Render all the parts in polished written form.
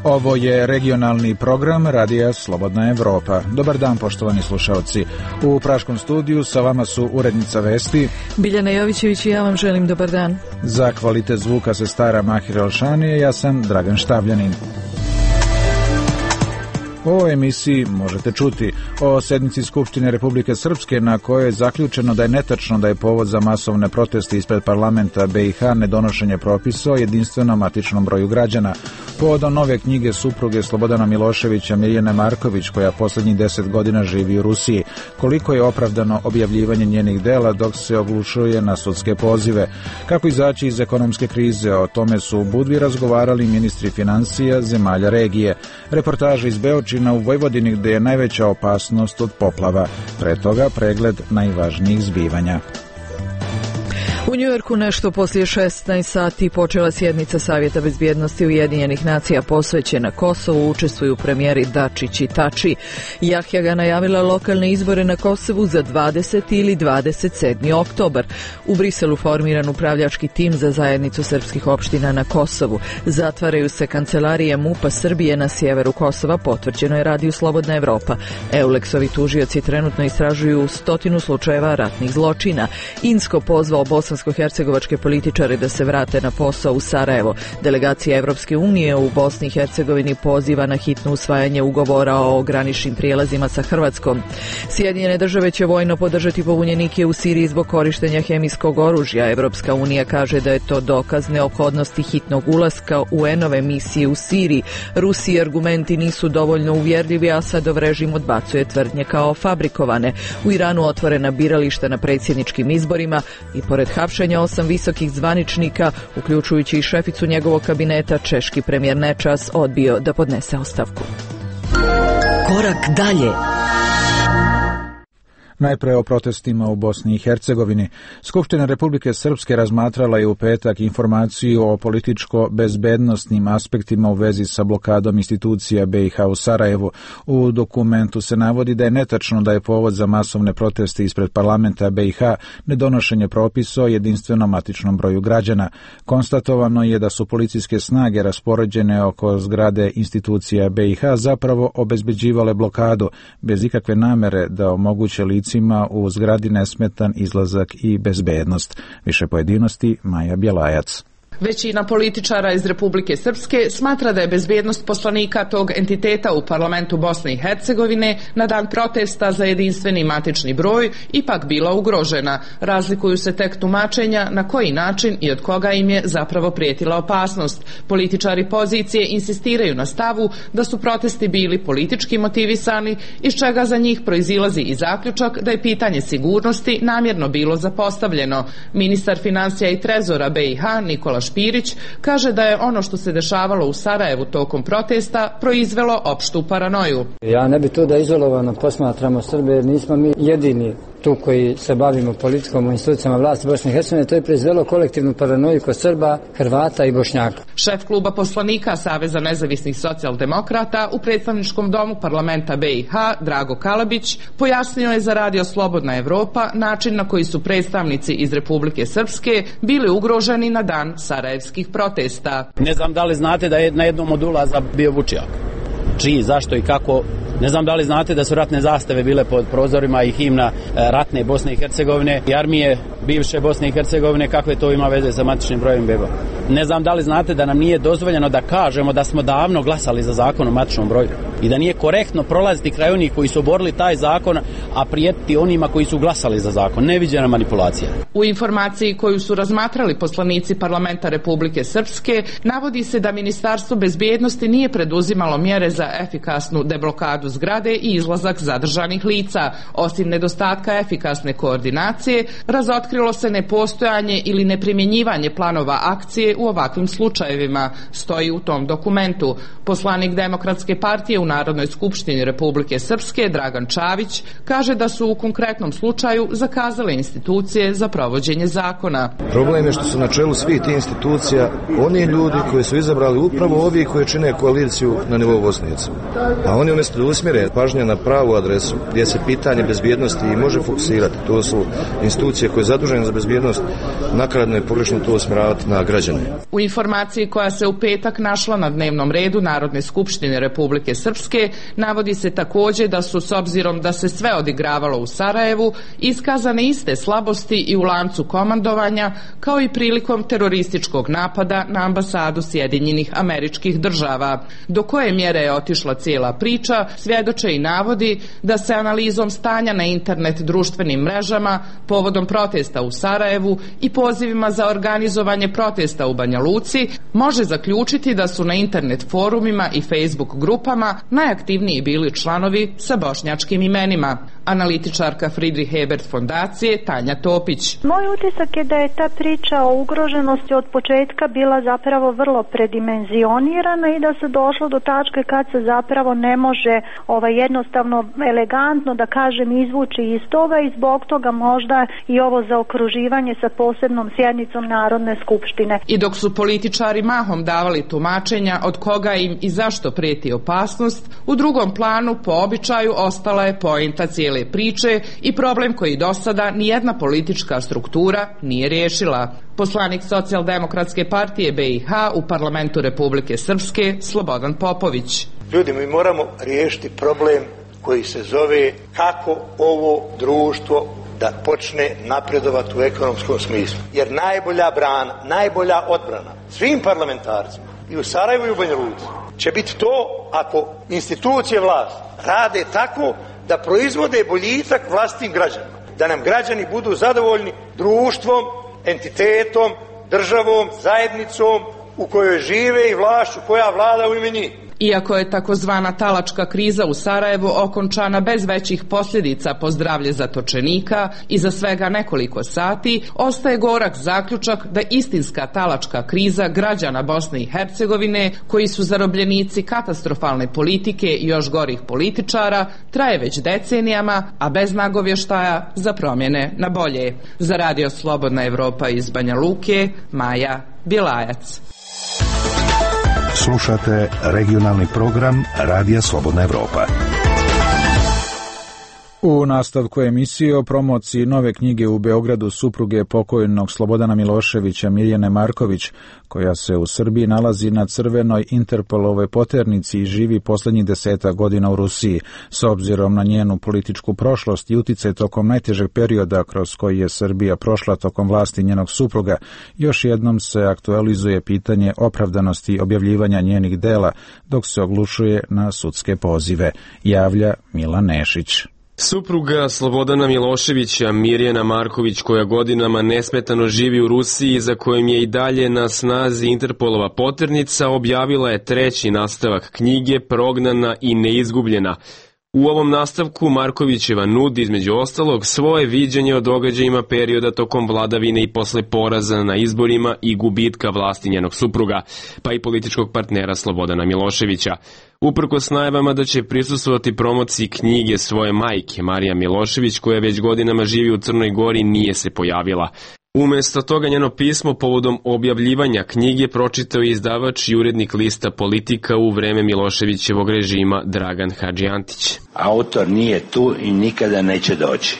Ovo je regionalni program Radija Slobodna Evropa. Dobar dan, poštovani slušalci. U Praškom studiju sa vama su urednica vesti Biljana Jovićević i ja vam želim dobar dan. Za kvalitet zvuka se stara Mahir Elšanije, ja sam Dragan Štavljanin. O emisiji možete čuti o sednici Skupštine Republike Srpske na kojoj je zaključeno da je netačno da je povod za masovne proteste ispred parlamenta BiH nedonošenje propisa o jedinstvenom matičnom broju građana. Povodom nove knjige supruge Slobodana Miloševića Mirjane Marković, koja poslednjih 10 godina živi u Rusiji, koliko je opravdano objavljivanje njenih dela dok se oglušuje na sudske pozive. Kako izaći iz ekonomske krize, o tome su u Budvi razgovarali ministri financija zemalja regije. Reportaža iz Beočina u Vojvodini, gde je najveća opasnost od poplava. Pre toga pregled najvažnijih zbivanja. U Njujorku nešto poslije 16 sati počela sjednica Savjeta bezbjednosti Ujedinjenih nacija posvećena Kosovu. Učestvuju premijeri Dačić i Tači. Jahjaga najavila lokalne izbore na Kosovu za 20. ili 27. oktobar. U Briselu formiran upravljački tim za zajednicu srpskih opština na Kosovu. Zatvaraju se kancelarije MUP-a Srbije na sjeveru Kosova, potvrđeno je Radiju Slobodna Evropa. Euleksovi tužioci trenutno istražuju 100 slučajeva ratnih zločina. Insko pozvao bosansko-hercegovačke političare da se vrate na posao u Sarajevo. Delegacija Evropske unije u Bosni i Hercegovini poziva na hitno usvajanje ugovora o graničnim prijelazima sa Hrvatskom. Sjedinjene države će vojno podržati pobunjenike u Siriji zbog korištenja hemijskog oružja. Evropska unija kaže da je to dokaz neophodnosti hitnog ulaska UN-ove misije u Siriji. Rusiji argumenti nisu dovoljno uvjerljivi, a Asadov režim odbacuje tvrdnje kao fabrikovane. U Iranu otvorena birališta na predsjedničkim izborima i pored hapšenja 8 visokih zvaničnika, uključujući i šeficu njegovog kabineta, češki premijer Nečas odbio da podnese ostavku. Korak dalje. Najpre o protestima u Bosni i Hercegovini. Skupština Republike Srpske razmatrala je u petak informaciju o političko-bezbednostnim aspektima u vezi sa blokadom institucija BiH u Sarajevu. U dokumentu se navodi da je netačno da je povod za masovne proteste ispred parlamenta BiH nedonošenje propisa o jedinstvenom matičnom broju građana. Konstatovano je da su policijske snage raspoređene oko zgrade institucija BiH zapravo obezbeđivale blokadu bez ikakve namere da omoguće u zgradi nesmetan izlazak i bezbednost. Više pojedinosti Maja Bjelajac. Većina političara iz Republike Srpske smatra da je bezbednost poslanika tog entiteta u parlamentu Bosne i Hercegovine na dan protesta za jedinstveni matični broj ipak bila ugrožena. Razlikuju se tek tumačenja na koji način i od koga im je zapravo prijetila opasnost. Političari pozicije insistiraju na stavu da su protesti bili politički motivisani, iz čega za njih proizilazi i zaključak da je pitanje sigurnosti namjerno bilo zapostavljeno. Ministar financija i trezora BiH Nikola Špirić kaže da je ono što se dešavalo u Sarajevu tokom protesta proizvelo opštu paranoju. Ja ne bi to da izolovano posmatramo Srbe, jer nismo mi jedini tu koji se bavimo politikom u institucijama vlasti Bosne i Hercegovine. To je proizvelo kolektivnu paranoju kod Srba, Hrvata i Bošnjaka. Šef kluba poslanika Saveza nezavisnih socijaldemokrata u predstavničkom domu parlamenta BiH Drago Kalabić pojasnio je za Radio Slobodna Evropa način na koji su predstavnici iz Republike Srpske bili ugroženi na dan sarajevskih protesta. Ne znam da li znate da je na jednom od ulaza bio Vučijak. Čiji, zašto i kako? Ne znam da li znate da su ratne zastave bile pod prozorima i himna ratne Bosne i Hercegovine i armije bivše Bosne i Hercegovine, kakve to ima veze sa matičnim brojem beba. Ne znam da li znate da nam nije dozvoljeno da kažemo da smo davno glasali za zakon o matičnom broju i da nije korektno prolaziti kraj onih koji su oborili taj zakon, a prijetiti onima koji su glasali za zakon. Neviđena manipulacija. U informaciji koju su razmatrali poslanici parlamenta Republike Srpske navodi se da Ministarstvo bezbjednosti nije preduzimalo mjere za efikasnu deblokadu zgrade i izlazak zadržanih lica. Osim nedostatka efikasne koordinacije, razotkrilo se nepostojanje ili neprimjenjivanje planova akcije u ovakvim slučajevima, stoji u tom dokumentu. Poslanik Demokratske partije u Narodnoj skupštini Republike Srpske Dragan Čavić kaže da su u konkretnom slučaju zakazale institucije za provođenje zakona. Problem je što su na čelu svih tih institucija oni ljudi koji su izabrali upravo ovi koji čine koaliciju na nivou Bosne i Hercegovine. A oni umjesto da usmjere pažnje na pravu adresu gdje se pitanje bezbjednosti i može fokusirati, to su institucije koje je zadužene za bezbjednost, nakaradno je pogrešno to usmjeravati na građane. U informaciji koja se u petak našla na dnevnom redu Narodne skupštine Republike Srpske navodi se također da su, s obzirom da se sve odigravalo u Sarajevu, iskazane iste slabosti i u lancu komandovanja, kao i prilikom terorističkog napada na ambasadu Sjedinjenih Američkih Država. Do koje mjere je otišla cijela priča svjedoče i navodi da se analizom stanja na internet društvenim mrežama povodom protesta u Sarajevu i pozivima za organizovanje protesta u Banja Luci može zaključiti da su na internet forumima i Facebook grupama najaktivniji bili članovi sa bošnjačkim imenima. Analitičarka Friedrich Ebert fondacije Tanja Topić. Moj utisak je da je ta priča o ugroženosti od početka bila zapravo vrlo predimenzionirana i da se došlo do tačke kad se zapravo ne može jednostavno elegantno da kažem izvući iz toga i zbog toga možda i ovo zaokruživanje sa posebnom sjednicom Narodne skupštine. I dok su političari mahom davali tumačenja od koga im i zašto prijeti opasnost, u drugom planu po običaju ostala je poenta cijele priče i problem koji do sada nijedna politička struktura nije riješila. Poslanik Socijaldemokratske partije BiH u parlamentu Republike Srpske Slobodan Popović. Ljudi, mi moramo riješiti problem koji se zove kako ovo društvo da počne napredovati u ekonomskom smislu. Jer najbolja brana, najbolja odbrana svim parlamentarcima i u Sarajevu i u Banja Luci će biti to ako institucije vlasti rade tako da proizvode boljitak vlastitim građanima. Da nam građani budu zadovoljni društvom, entitetom, državom, zajednicom u kojoj žive i vlašću koja vlada u ime njih. Iako je takozvana talačka kriza u Sarajevu okončana bez većih posljedica po zdravlje zatočenika i za svega nekoliko sati, ostaje gorak zaključak da istinska talačka kriza građana Bosne i Hercegovine, koji su zarobljenici katastrofalne politike i još gorih političara, traje već decenijama, a bez nagovještaja za promjene na bolje. Za Radio Slobodna Evropa iz Banja Luke, Maja Bjelajac. Slušate regionalni program Radija Slobodna Evropa. U nastavku emisije o promociji nove knjige u Beogradu supruge pokojnog Slobodana Miloševića Mirjane Marković, koja se u Srbiji nalazi na crvenoj Interpolovoj poternici i živi posljednjih 10 godina u Rusiji, s obzirom na njenu političku prošlost i uticaj tokom najtežeg perioda kroz koji je Srbija prošla tokom vlasti njenog supruga, još jednom se aktualizuje pitanje opravdanosti objavljivanja njenih dela, dok se oglušuje na sudske pozive, javlja Milan Nešić. Supruga Slobodana Miloševića, Mirjana Marković, koja godinama nesmetano živi u Rusiji, za kojim je i dalje na snazi Interpolova poternica, objavila je 3. nastavak knjige Prognana i neizgubljena. U ovom nastavku Markovićeva nudi, između ostalog, svoje viđenje o događajima perioda tokom vladavine i posle poraza na izborima i gubitka vlasti njenog supruga, pa i političkog partnera Slobodana Miloševića. Uprkos najavama da će prisustvovati promociji knjige svoje majke, Marija Milošević, koja već godinama živi u Crnoj Gori, nije se pojavila. Umjesto toga njeno pismo povodom objavljivanja knjige pročitao je izdavač i urednik lista Politika u vreme Miloševićevog režima Dragan Hadžiantić. Autor nije tu i nikada neće doći.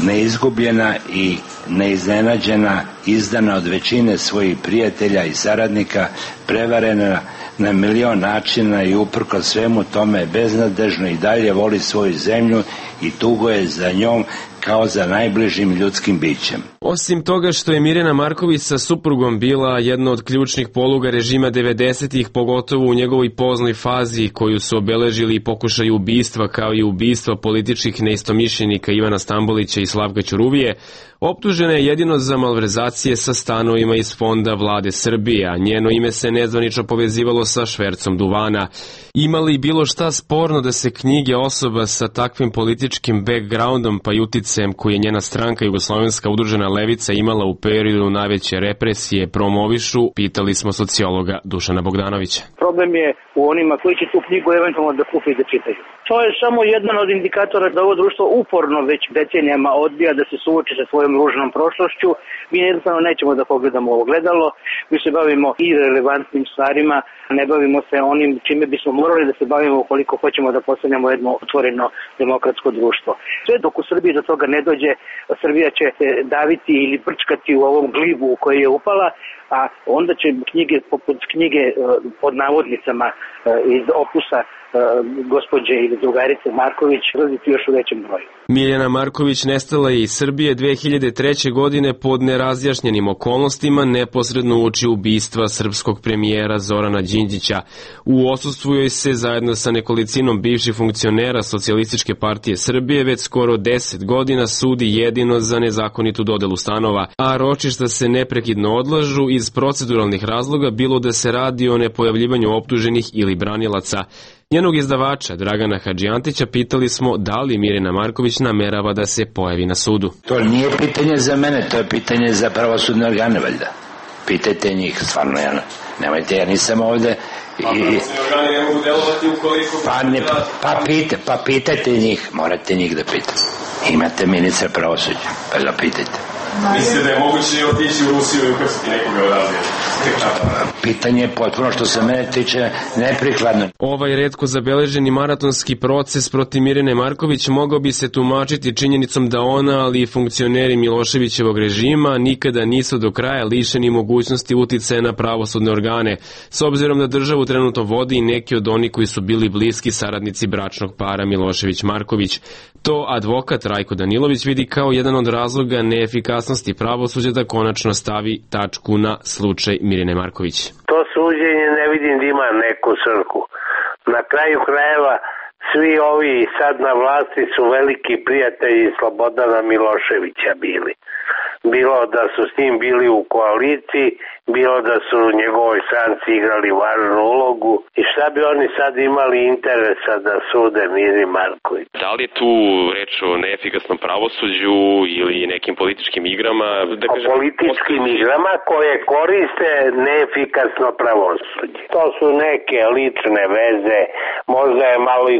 Neizgubljena i neiznenađena, izdana od većine svojih prijatelja i saradnika, prevarena na milion načina i uprkos svemu tome beznadežno i dalje voli svoju zemlju i tuguje za njom kao za najbližim ljudskim bićem. Osim toga što je Mirjana Marković sa suprugom bila jedna od ključnih poluga režima 90-ih, pogotovo u njegovoj poznoj fazi koju su obeležili i pokušaj ubistva kao i ubistva političkih neistomišljenika Ivana Stambolića i Slavka Ćuruvije, Optužena je jedino za malverzacije sa stanovima iz fonda vlade Srbije, a njeno ime se nezvanično povezivalo sa švercom duvana. Ima li bilo šta sporno da se knjige osoba sa takvim političkim backgroundom pa i uticajem koji je njena stranka Jugoslovenska udružena levica imala u periodu najveće represije promovišu, pitali smo sociologa Dušana Bogdanovića. Problem je u onima koji će tu knjigu eventualno da kupe i da čitaju. To je samo jedan od indikatora da ovo društvo uporno već decenijama odbija da se suoči sa svojom ružnom prošlošću. Mi jednostavno nećemo da pogledamo ovo gledalo, mi se bavimo i relevantnim stvarima, ne bavimo se onim čime bismo morali da se bavimo ukoliko hoćemo da postanemo jedno otvoreno demokratsko društvo. Sve dok u Srbiji do toga ne dođe, Srbija će se daviti ili brčkati u ovom glibu u koji je upala, a onda će knjige poput knjige pod navodnicama iz opusa gospođe ili drugarice Marković razviti još u većem broju. Mirjana Marković nestala je iz Srbije 2003. godine pod nerazjašnjenim okolnostima neposredno uoči ubistva srpskog premijera Zorana Đinđića. U odsustvu joj se zajedno sa nekolicinom bivših funkcionera Socijalističke partije Srbije već skoro 10 godina sudi jedino za nezakonitu dodelu stanova, a ročišta se neprekidno odlažu iz proceduralnih razloga, bilo da se radi o nepojavljivanju optuženih ili branilaca. Njenog izdavača Dragana Hadžijantića pitali smo da li Mirjana Marković namerava da se pojavi na sudu. To nije pitanje za mene, to je pitanje za pravosudne organe, valjda. Pitajte njih, stvarno, nemojte, ja nisam ovde... pravosudne organe ne mogu delovati ukoliko... Pa pitajte njih, morate njih da pitate. Imate ministra pravosuđa, pa ga pitajte. Mislite da je moguće otići u Rusiju i ukrstiti nekoga odavde? Pitanje je potpuno što se mene tiče neprikladno. Ovaj retko zabeleženi maratonski proces protiv Mirjane Marković mogao bi se tumačiti činjenicom da ona, ali i funkcioneri Miloševićevog režima nikada nisu do kraja lišeni mogućnosti uticaja na pravosudne organe, s obzirom da državu trenutno vodi i neki od onih koji su bili bliski saradnici bračnog para Milošević-Marković. To advokat Rajko Danilović vidi kao jedan od razloga neefikasnosti pravosuđa da konačno stavi tačku na slučaj Mirjane Marković. To suđenje ne vidim da ima neku svrhu. Na kraju krajeva svi ovi sad na vlasti su veliki prijatelji Slobodana Miloševića bili. Bilo da su s njim bili u koaliciji, bilo da su u njegovoj stranci igrali važnu ulogu i šta bi oni sad imali interesa da sude Miri Marković. Da li je tu reč o neefikasnom pravosuđu ili nekim političkim igrama? O političkim igrama koje koriste neefikasno pravosuđe. To su neke lične veze, možda je malo i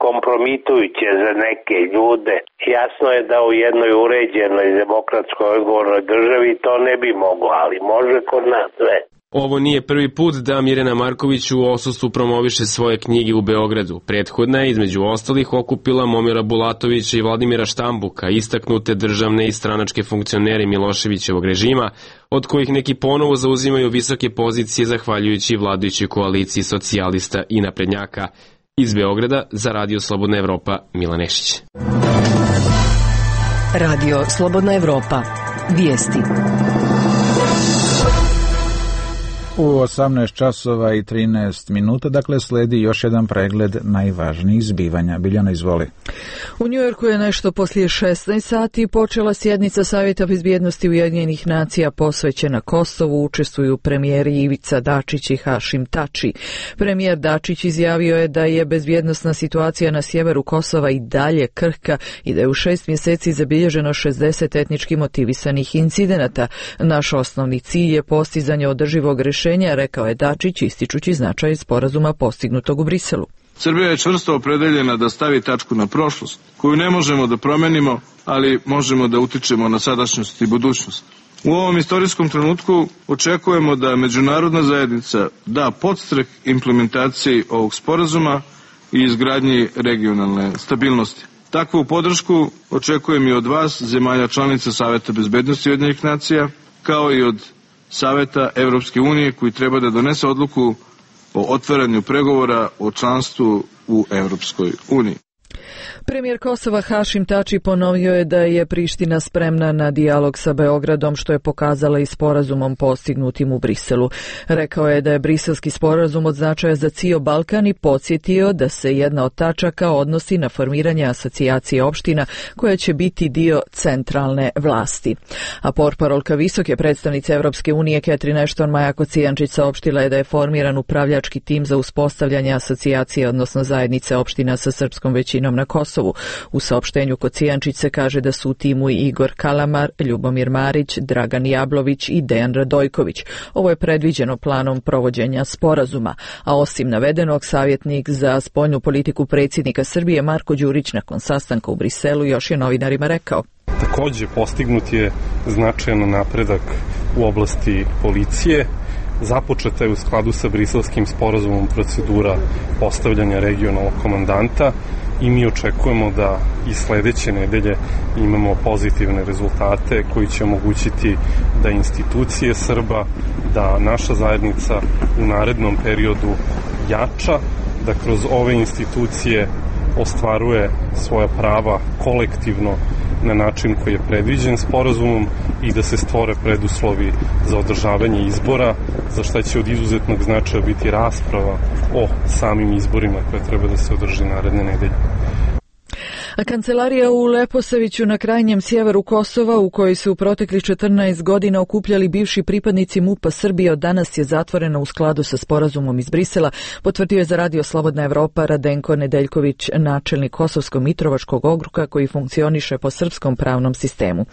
kompromitujuće za neke ljude. Jasno je da u jednoj uređenoj demokratskoj odgovornoj državi to ne bi moglo, ali može kod nas sve. Ovo nije prvi put da Mirjana Marković u odsustvu promoviše svoje knjige u Beogradu. Prethodna je između ostalih okupila Momira Bulatovića i Vladimira Štambuka, istaknute državne i stranačke funkcionere Miloševićevog režima, od kojih neki ponovo zauzimaju visoke pozicije zahvaljujući vladajućoj koaliciji socijalista i naprednjaka. Iz Beograda za Radio Slobodna Evropa, Milan Nešić. Radio Slobodna Evropa. Vijesti. U 18 časova i 13 minuta, dakle, sledi još jedan pregled najvažnijih zbivanja. Biljana, izvoli. U Njujorku je nešto poslije 16 sati počela sjednica Savjeta bezbjednosti Ujedinjenih nacija posvećena Kosovu. Učestvuju premijeri Ivica Dačić i Hašim Tači. Premijer Dačić izjavio je da je bezbjednosna situacija na sjeveru Kosova i dalje krhka i da je u 6 mjeseci zabilježeno 60 etnički motivisanih incidenata. Naš osnovni cilj je postizanje održivog rješenja, rekao je Dačić, ističući značaj sporazuma postignutog u Briselu. Srbija je čvrsto opredeljena da stavi tačku na prošlost, koju ne možemo da promenimo, ali možemo da utičemo na sadašnjost i budućnost. U ovom istorijskom trenutku očekujemo da međunarodna zajednica da podstrek implementaciji ovog sporazuma i izgradnji regionalne stabilnosti. Takvu podršku očekujem i od vas, zemalja članica Saveta bezbednosti Ujedinjenih nacija, kao i od Saveta Evropske unije, koji treba da donese odluku o otvaranju pregovora o članstvu u Evropskoj uniji. Premijer Kosova Hašim Tači ponovio je da je Priština spremna na dijalog sa Beogradom, što je pokazala i sporazumom postignutim u Briselu. Rekao je da je briselski sporazum od značaja za cijel Balkan i podsjetio da se jedna od tačaka odnosi na formiranje asocijacije opština koja će biti dio centralne vlasti. A portparolka visoke predstavnice Evropske unije Catherine Ashton Maja Kocijančić saopštila je da je formiran upravljački tim za uspostavljanje asocijacije, odnosno zajednice opština sa srpskom većinom na Kosovu. U saopštenju Kocijančić se kaže da su u timu i Igor Kalamar, Ljubomir Marić, Dragan Jablović i Dejan Radojković. Ovo je predviđeno planom provođenja sporazuma. A osim navedenog, savjetnik za spoljnu politiku predsjednika Srbije Marko Đurić nakon sastanka u Briselu još je novinarima rekao: Također postignut je značajan napredak u oblasti policije. Započeta je u skladu sa briselskim sporazumom procedura postavljanja regionalnog komandanta i mi očekujemo da i sljedeće nedelje imamo pozitivne rezultate koji će omogućiti da institucije Srba, da naša zajednica u narednom periodu jača, da kroz ove institucije ostvaruje svoja prava kolektivno na način koji je predviđen sporazumom i da se stvore preduslovi za održavanje izbora, za što će od izuzetnog značaja biti rasprava o samim izborima koje treba da se održi naredne nedelje. A kancelarija u Leposaviću na krajnjem sjeveru Kosova, u kojoj su u proteklih 14 godina okupljali bivši pripadnici MUP-a Srbije, od danas je zatvorena u skladu sa sporazumom iz Brisela, potvrdio je za Radio Slobodna Evropa Radenko Nedeljković, načelnik Kosovsko-Mitrovačkog okruga koji funkcioniše po srpskom pravnom sistemu.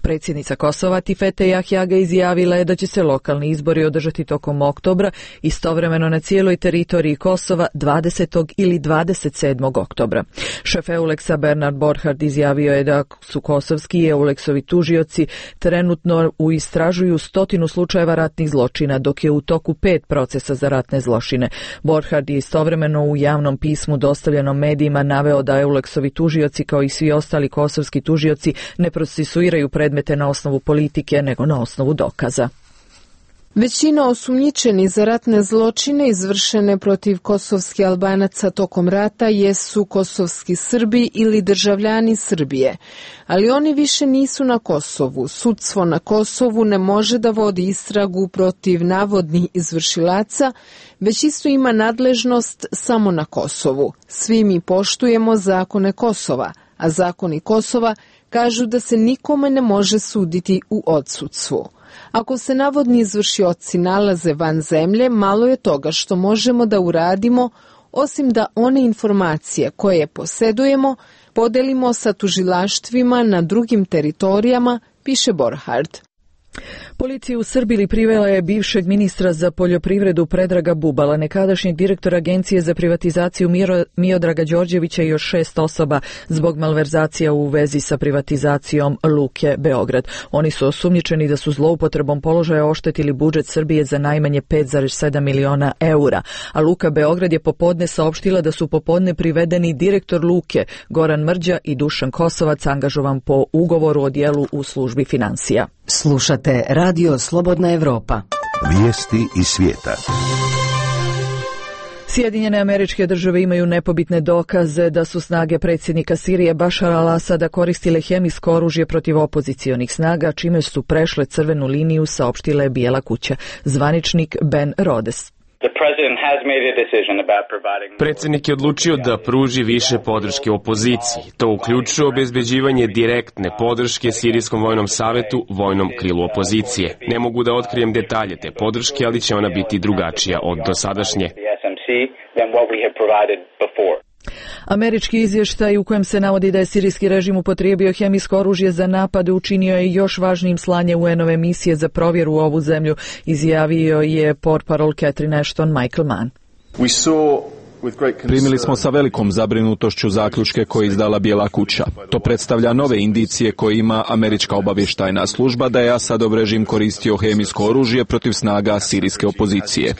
Predsjednica Kosova Tifete Jahjaga izjavila je da će se lokalni izbori održati tokom oktobra, istovremeno na cijeloj teritoriji Kosova 20. ili 27. oktobra. Šef Euleksa Bernard Borhard izjavio je da su kosovski i Euleksovi tužioci trenutno istražuju 100 slučajeva ratnih zločina, dok je u toku 5 procesa za ratne zločine. Borhard je istovremeno u javnom pismu dostavljenom medijima naveo da Euleksovi tužioci, kao i svi ostali kosovski tužioci, ne procesuiraju predmete na osnovu politike, nego na osnovu dokaza. Većina osumnjičenih za ratne zločine izvršene protiv kosovskih Albanaca tokom rata jesu kosovski Srbi ili državljani Srbije, ali oni više nisu na Kosovu. Sudstvo na Kosovu ne može da vodi istragu protiv navodnih izvršilaca, već isto ima nadležnost samo na Kosovu. Svi mi poštujemo zakone Kosova, a zakoni Kosova kažu da se nikome ne može suditi u odsudstvu. Ako se navodni izvršioci nalaze van zemlje, malo je toga što možemo da uradimo, osim da one informacije koje posedujemo podelimo sa tužilaštvima na drugim teritorijama, piše Borhard. Policija u Srbiji privela je bivšeg ministra za poljoprivredu Predraga Bubala, nekadašnjeg direktora Agencije za privatizaciju Miodraga Đorđevića i još 6 osoba zbog malverzacija u vezi sa privatizacijom Luke Beograd. Oni su osumnjičeni da su zloupotrebom položaja oštetili budžet Srbije za najmanje 5,7 miliona eura, a Luka Beograd je popodne saopštila da su popodne privedeni direktor Luke Goran Mrđa i Dušan Kosovac, angažovan po ugovoru o djelu u službi finansija. Slušate Radio Slobodna Evropa. Vijesti iz svijeta. Sjedinjene Američke Države imaju nepobitne dokaze da su snage predsjednika Sirije Bašara al-Asada koristile hemijsko oružje protiv opozicionih snaga, čime su prešle crvenu liniju, saopštila je Bijela kuća. Zvaničnik Ben Rhodes. Predsjednik je odlučio da pruži više podrške opoziciji. To uključuje obezbeđivanje direktne podrške Sirijskom vojnom savetu, vojnom krilu opozicije. Ne mogu da otkrijem detalje te podrške, ali će ona biti drugačija od dosadašnje. Američki izvještaj u kojem se navodi da je sirijski režim upotrijebio hemijsko oružje za napade učinio je još važnijim slanje UN-ove misije za provjeru u ovu zemlju, izjavio je portparol Catherine Ashton Michael Mann. Primili smo sa velikom zabrinutošću zaključke koje je izdala Bijela kuća. To predstavlja nove indicije koje ima američka obavještajna služba da je Asadov režim koristio hemijsko oružje protiv snaga sirijske opozicije.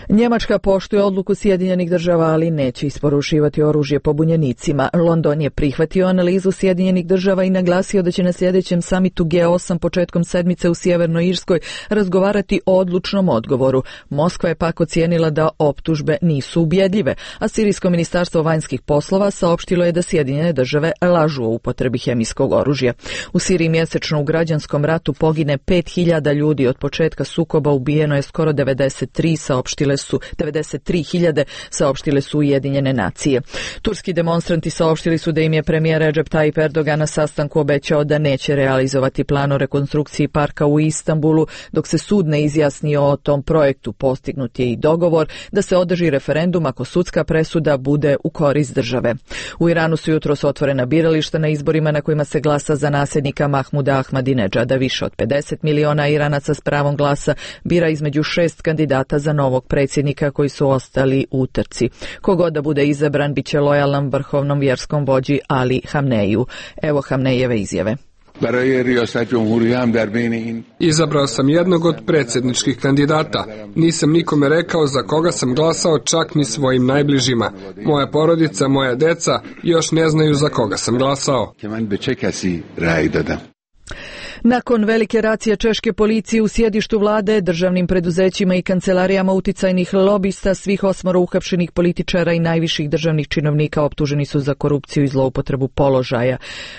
Njemačka poštuje odluku Sjedinjenih država, ali neće isporučivati oružje pobunjenicima. London je prihvatio analizu Sjedinjenih država i naglasio da će na sljedećem samitu G8 početkom sedmice u Sjevernoj Irskoj razgovarati o odlučnom odgovoru. Moskva je pak ocijenila da optužbe nisu ubjedljive, a Sirijsko ministarstvo vanjskih poslova saopštilo je da Sjedinjene države lažu o upotrebi hemijskog oružja. U Siriji mjesečno u građanskom ratu pogine 5.000 ljudi. Od početka sukoba ubijeno je skoro 93.000, saopštile su Ujedinjene nacije. Turski demonstranti saopštili su da im je premijer Recep Tayyip Erdogan na sastanku obećao da neće realizovati plan o rekonstrukciji parka u Istanbulu dok se sud ne izjasni o tom projektu. Postignut je i dogovor da se održi referendum ako sudska presuda bude u korist države. U Iranu su jutros otvorena birališta na izborima na kojima se glasa za nasljednika Mahmuda Ahmadinedžada. Više od 50 miliona Iranaca s pravom glasa bira između 6 kandidata za novog predsjednika koji su ostali u trci. Kogod da bude izabran bit će lojalan vrhovnom vjerskom vođi Ali Hamneiju. Evo Hamnejeve izjave. Izabrao sam jednog od predsjedničkih kandidata. Nisam nikome rekao za koga sam glasao, čak ni svojim najbližima. Moja porodica, moja deca još ne znaju za koga sam glasao. Nakon velike racije češke policije u sjedištu vlade, državnim preduzećima i kancelarijama uticajnih lobista, svih 8 uhapšenih političara i najviših državnih činovnika optuženi su za korupciju i zloupotrebu položaja.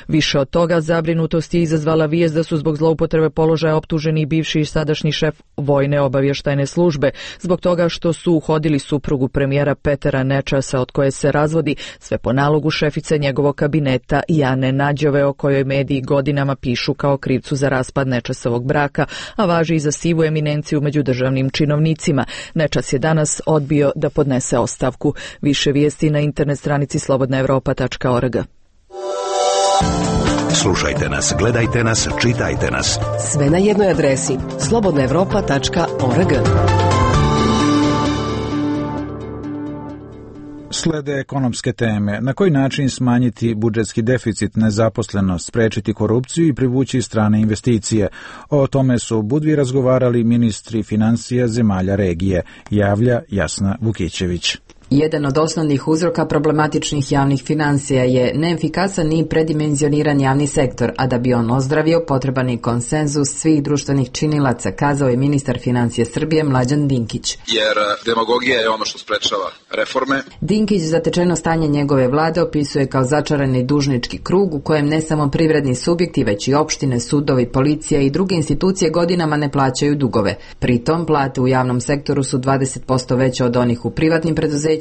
Više od toga, zabrinutost je izazvala vijest da su zbog zloupotrebe položaja optuženi i bivši i sadašnji šef vojne obavještajne službe, zbog toga što su uhodili suprugu premijera Petera Nečasa od koje se razvodi, sve po nalogu šefice njegovog kabineta Jane Nađove, o kojoj mediji godinama pišu kao krivcu za raspad Nečasovog braka, a važi i za sivu eminenciju među državnim činovnicima. Nečas je danas odbio da podnese ostavku. Više vijesti na internet stranici slobodnaevropa.org. Slušajte nas, gledajte nas, čitajte nas. Sve na jednoj adresi slobodnaevropa.org. Slede ekonomske teme. Na koji način smanjiti budžetski deficit, nezaposlenost, sprečiti korupciju i privući strane investicije? O tome su Budvi razgovarali ministri financija zemalja regije, javlja Jasna Vukićević. Jedan od osnovnih uzroka problematičnih javnih financija je neefikasan i predimenzioniran javni sektor, a da bi on ozdravio potreban je konsenzus svih društvenih činilaca, kazao je ministar financija Srbije Mlađan Dinkić. Jer demagogija je ono što sprečava reforme. Dinkić zatečeno stanje njegove vlade opisuje kao začarani dužnički krug u kojem ne samo privredni subjekti, već i opštine, sudovi, policija i druge institucije godinama ne plaćaju dugove. Pritom plate u javnom sektoru su 20% veće od onih u privatnim preduzećima,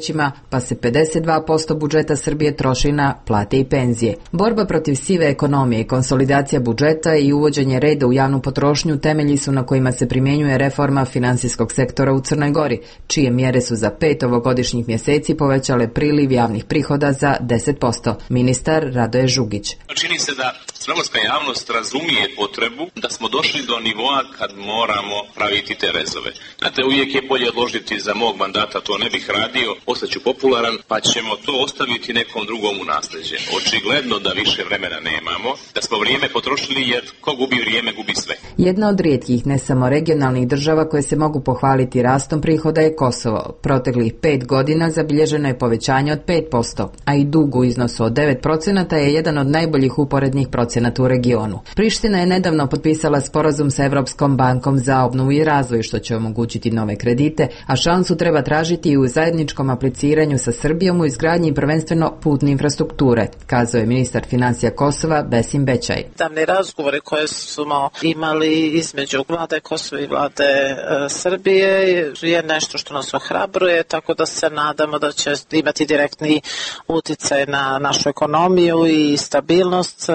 pa se 52% budžeta Srbije troši na plate i penzije. Borba protiv sive ekonomije i konsolidacija budžeta i uvođenje reda u javnu potrošnju temelji su na kojima se primjenjuje reforma finansijskog sektora u Crnoj Gori, čije mjere su za 5 ovogodišnjih mjeseci povećale priliv javnih prihoda za 10%. Ministar Radoje Žugić. Čini se da crnogorska javnost razumije potrebu da smo došli do nivoa kad moramo praviti te rezove. Znate, uvijek je bolje odložiti za mog mandata, to ne bih radio, ostaću popularan, pa ćemo to ostaviti nekom drugom u nasljeđe. Očigledno da više vremena nemamo, da smo vrijeme potrošili jer ko gubi vrijeme, gubi sve. Jedna od rijetkih, ne samo regionalnih država koje se mogu pohvaliti rastom prihoda je Kosovo. Proteklih 5 godina zabilježeno je povećanje od 5%, a i dug u iznosu od 9% je jedan od najboljih uporednih procenata u regionu. Priština je nedavno potpisala sporazum sa Evropskom bankom za obnovu i razvoj, što će omogućiti nove kredite, a šansu treba tražiti i u zajedničkom apliciranju sa Srbijom u izgradnji prvenstveno putne infrastrukture, kazao je ministar financija Kosova Besim Bećaj. Davne razgovore koje smo imali između vlade Kosova i vlade Srbije je nešto što nas ohrabruje, tako da se nadamo da će imati direktni utjecaj na našu ekonomiju i stabilnost.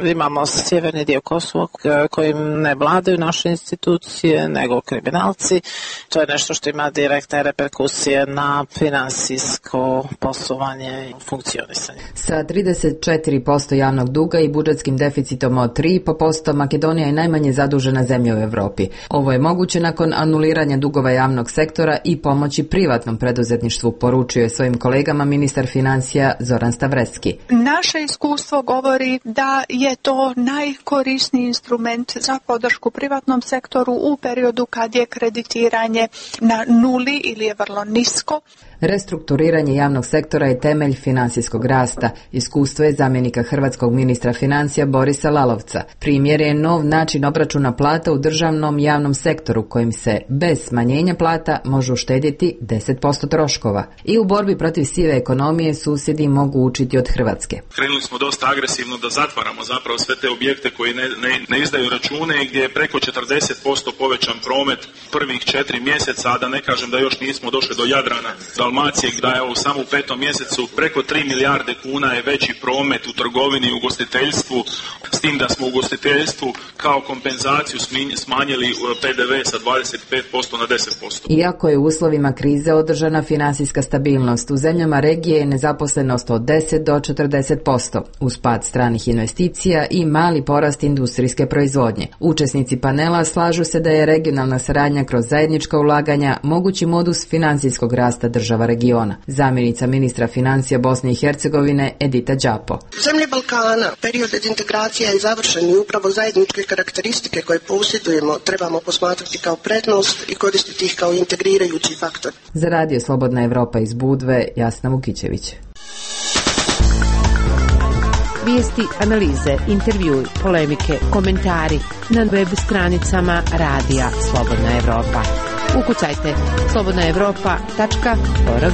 Imamo sjeverni dio Kosova kojim ne vladaju naše institucije nego kriminalci. To je nešto što ima direktne reperkusije na finansijsko poslovanje i funkcionisanje. Sa 34% javnog duga i budžetskim deficitom od 3,5%, Makedonija je najmanje zadužena zemlja u Europi. Ovo je moguće nakon anuliranja dugova javnog sektora i pomoći privatnom preduzetništvu, poručio je svojim kolegama ministar financija Zoran Stavrecki. Naše iskustvo govori da je to najkorisniji instrument za podršku privatnom sektoru u periodu kad je kreditiranje na nuli ili je vrlo nisko. Restrukturiranje javnog sektora je temelj finansijskog rasta. Iskustvo je zamjenika hrvatskog ministra financija Borisa Lalovca. Primjer je nov način obračuna plata u državnom javnom sektoru kojim se bez smanjenja plata može uštedjeti 10% troškova. I u borbi protiv sive ekonomije susjedi mogu učiti od Hrvatske. Krenuli smo dosta agresivno da zatvaramo zapravo sve te objekte koji ne izdaju račune i gdje je preko 40% povećan promet prvih 4 mjeseca, a da ne kažem da još nismo došli do Jadrana, Dalmacije, da je samo u 5. mjesecu preko 3 milijarde kuna je veći promet u trgovini i ugostiteljstvu, s tim da smo u ugostiteljstvu kao kompenzaciju smanjili PDV sa 25% na 10%. Iako je u uslovima krize održana financijska stabilnost, u zemljama regije je nezaposlenost od 10 do 40%, uz pad stranih investicija i mali porast industrijske proizvodnje. Učesnici panela slažu se da je regionalna saradnja kroz zajednička ulaganja mogući modus financijskog rasta država regiona. Zamjenica ministra financija Bosne i Hercegovine Edita Đapo. Zemlje Balkana, period integracija je završen i upravo zajedničke karakteristike koje posjedujemo trebamo posmatrati kao prednost i koristiti ih kao integrirajući faktor. Za Radio Slobodna Evropa iz Budve, Jasna Vukićević. Vijesti, analize, intervjui, polemike, komentari na web stranicama Radija Slobodna Evropa. Ukucajte slobodnaevropa.org.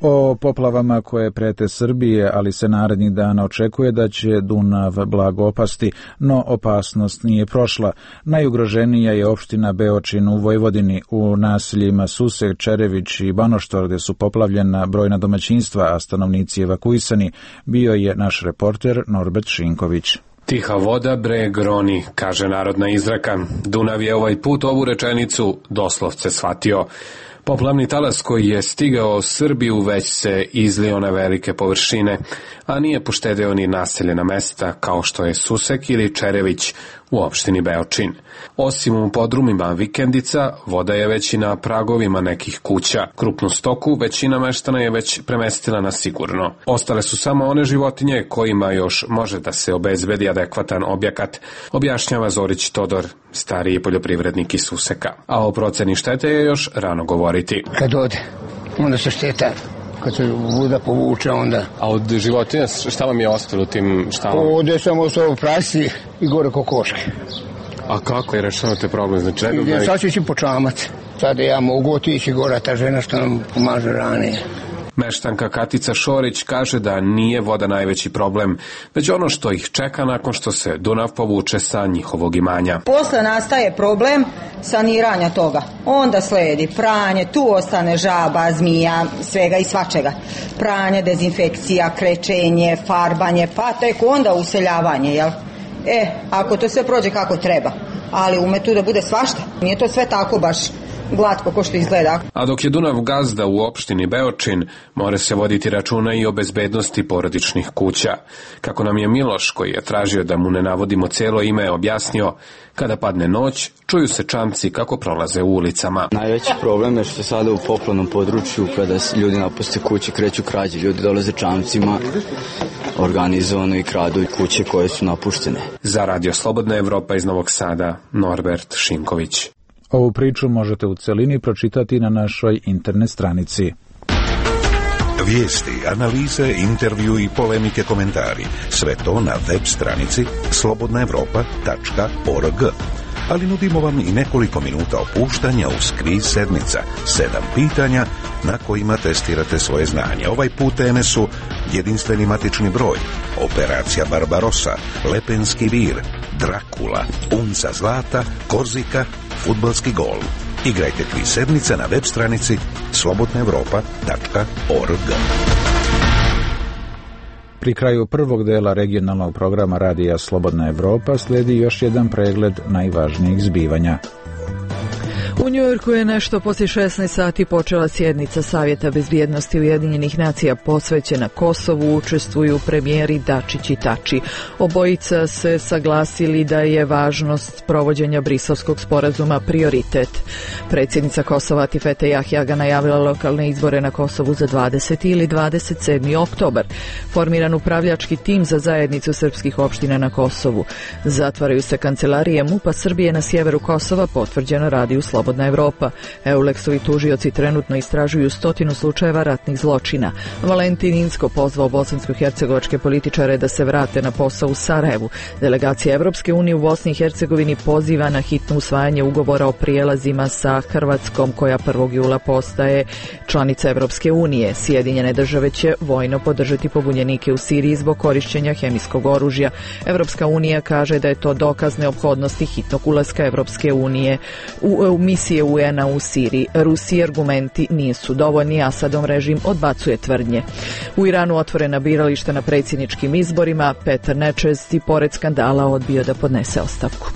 O poplavama koje prete Srbije, ali se narednih dana očekuje da će Dunav blago opasti, no opasnost nije prošla. Najugroženija je opština Beočin u Vojvodini. U naseljima Susek, Čerević i Banoštor, gde su poplavljena brojna domaćinstva, a stanovnici evakuisani, bio je naš reporter Norbert Šinković. Tiha voda breg roni, kaže narodna izreka. Dunav je ovaj put ovu rečenicu doslovce shvatio. Poplavni talas koji je stigao Srbiju već se izlio na velike površine, a nije poštedeo ni naseljena mesta kao što je Susek ili Čerević u opštini Beočin. Osim u podrumima vikendica, voda je već i na pragovima nekih kuća. Krupnu stoku većina meštana je već premestila na sigurno. Ostale su samo one životinje kojima još može da se obezbedi adekvatan objekat, objašnjava Zorić Todor, stariji poljoprivrednik iz Suseka. A o proceni štete je još rano govoriti. Kad ode, onda se šteta. Kad se voda povuče, onda... A od životinja šta vam je ostalo tim štalama? Ovdje sam ostao prasi i gore kokoške. A kako je rešavate problem? Znači, sad ću ići po čamac. Sad ja mogu otići gore, ta žena što nam pomaže ranije. Meštanka Katica Šorić kaže da nije voda najveći problem, već ono što ih čeka nakon što se Dunav povuče sa njihovog imanja. Posle nastaje problem saniranja toga. Onda sledi pranje, tu ostane žaba, zmija, svega i svačega. Pranje, dezinfekcija, krečenje, farbanje, pa tek onda useljavanje, jel? Ako to sve prođe kako treba, ali ume tu da bude svašta. Nije to sve tako baš glatko ko što izgleda. A dok je Dunav gazda u opštini Beočin, mora se voditi računa i o bezbednosti porodičnih kuća. Kako nam je Miloš, koji je tražio da mu ne navodimo celo ime, objasnio, kada padne noć, čuju se čamci kako prolaze u ulicama. Najveći problem je što sada u poplavnom području, kada ljudi napuste kuće, kreću krađe, ljudi dolaze čamcima, organizovano i kradu kuće koje su napuštene. Za Radio Slobodna Evropa iz Novog Sada, Norbert Šinković. Ovu priču možete u celini pročitati na našoj internet stranici. Vijesti, analize, intervju i polemike, komentari. Sve to na web stranici slobodnaevropa.org. Ali nudimo vam i nekoliko minuta opuštanja uz kviz sedmica. 7 pitanja na kojima testirate svoje znanje. Ovaj put teme su jedinstveni matični broj, operacija Barbarossa, Lepenski vir, Drakula, unca zlata, Korzika, fudbalski gol. Igrajte kviz sedmica na web stranici slobodnaevropa.org. Pri kraju prvog dela regionalnog programa Radija Slobodna Evropa slijedi još jedan pregled najvažnijih zbivanja. U Njujorku je nešto poslije 16 sati počela sjednica Savjeta bezbjednosti Ujedinjenih nacija posvećena Kosovu. Učestvuju premijeri Dačić i Tači. Obojica se saglasili da je važnost provođenja Briselskog sporazuma prioritet. Predsjednica Kosova Atifete Jahjaga najavila lokalne izbore na Kosovu za 20. ili 27. oktobar. Formiran upravljački tim za zajednicu srpskih opština na Kosovu. Zatvaraju se kancelarije MUP-a Srbije na sjeveru Kosova, potvrđeno Radiju Slobodna Evropa. Euleksovi tužioci trenutno istražuju 100 slučajeva ratnih zločina. Valentin Inzko pozvao bosansko-hercegovačke političare da se vrate na posao u Sarajevu. Delegacija Evropske unije u Bosni i Hercegovini poziva na hitno usvajanje ugovora o prijelazima sa Hrvatskom, koja 1. jula postaje članica Evropske unije. Sjedinjene države će vojno podržati pobunjenike u Siriji zbog korišćenja hemijskog oružja. Evropska unija kaže da je to dokaz neophodnosti hitnog ulaska Evropske unije u misije UN-a u Siriji. Rusiji argumenti nisu dovoljni, Asadov režim odbacuje tvrdnje. U Iranu otvorena birališta na predsjedničkim izborima. Petar Nečest i pored skandala odbio da podnese ostavku.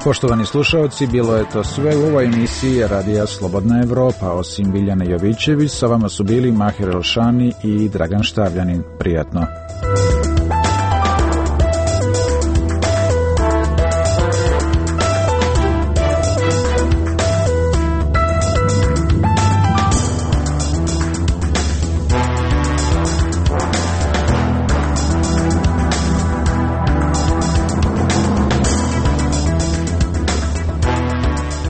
Poštovani slušalci, bilo je to sve u ovoj emisiji Radija Slobodna Evropa. Osim Biljane Jovićević, sa vama su bili Mahir Elšani i Dragan Štavljanin. Prijatno.